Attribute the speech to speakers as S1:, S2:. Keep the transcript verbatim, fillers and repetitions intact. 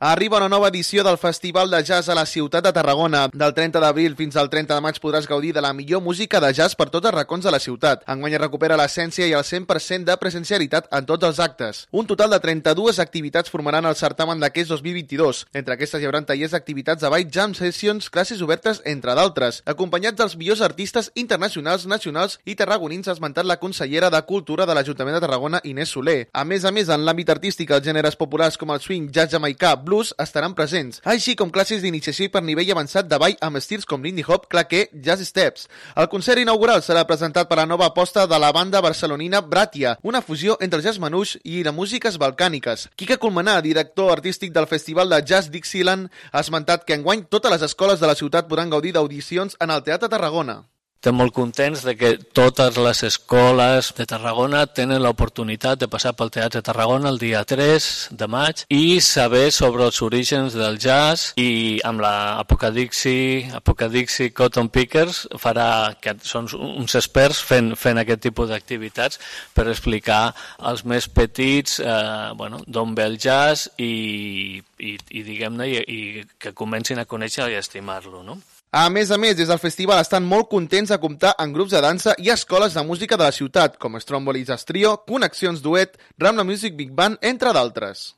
S1: Arriba una nova edició del Festival de Jazz a la ciutat de Tarragona. Del trenta d'abril fins al trenta de maig podràs gaudir de la millor música de jazz per tots els racons de la ciutat. Enguany es recupera l'essència i el cent per cent de presencialitat en tots els actes. Un total de trenta-dues activitats formaran el certamen d'aquest dos mil vint-i-dos. Entre aquestes hi haurà tallers d'activitats de ball, jam sessions, classes obertes, entre d'altres, acompanyats dels millors artistes internacionals, nacionals i tarragonins, ha esmentat la consellera de Cultura de l'Ajuntament de Tarragona, Inés Soler. A més a més, en l'àmbit artístic, els gèneres populars com el swing, jazz jamaicà, blues estaran presents, així com classes d'iniciació per nivell avançat de ball amb estils com l'indie hop, claqué, jazz steps. El concert inaugural serà presentat per la nova aposta de la banda barcelonina Bratia, una fusió entre el jazz manús i les músiques balcàniques. Quique Colmenar, director artístic del Festival de Jazz Dixieland, ha esmentat que enguany totes les escoles de la ciutat podran gaudir d'audicions en el Teatre Tarragona.
S2: Estem molt contents de que totes les escoles de Tarragona tenen l'oportunitat de passar pel Teatre Tarragona el dia tres de maig i saber sobre els orígens del jazz, i amb la Apocadixi, Apocadixi Cotton Pickers farà, que són uns experts fent, fent aquest tipus d'activitats per explicar als més petits eh, bueno, d'on ve el jazz i, i, i diguem-ne i, i que comencin a conèixer i a estimar-lo, no?
S1: A més a més, des del festival estan molt contents de comptar amb grups de dansa i escoles de música de la ciutat, com Stromboli Jazz Trio, Connexions Duet, Ramla Music Big Band, entre d'altres.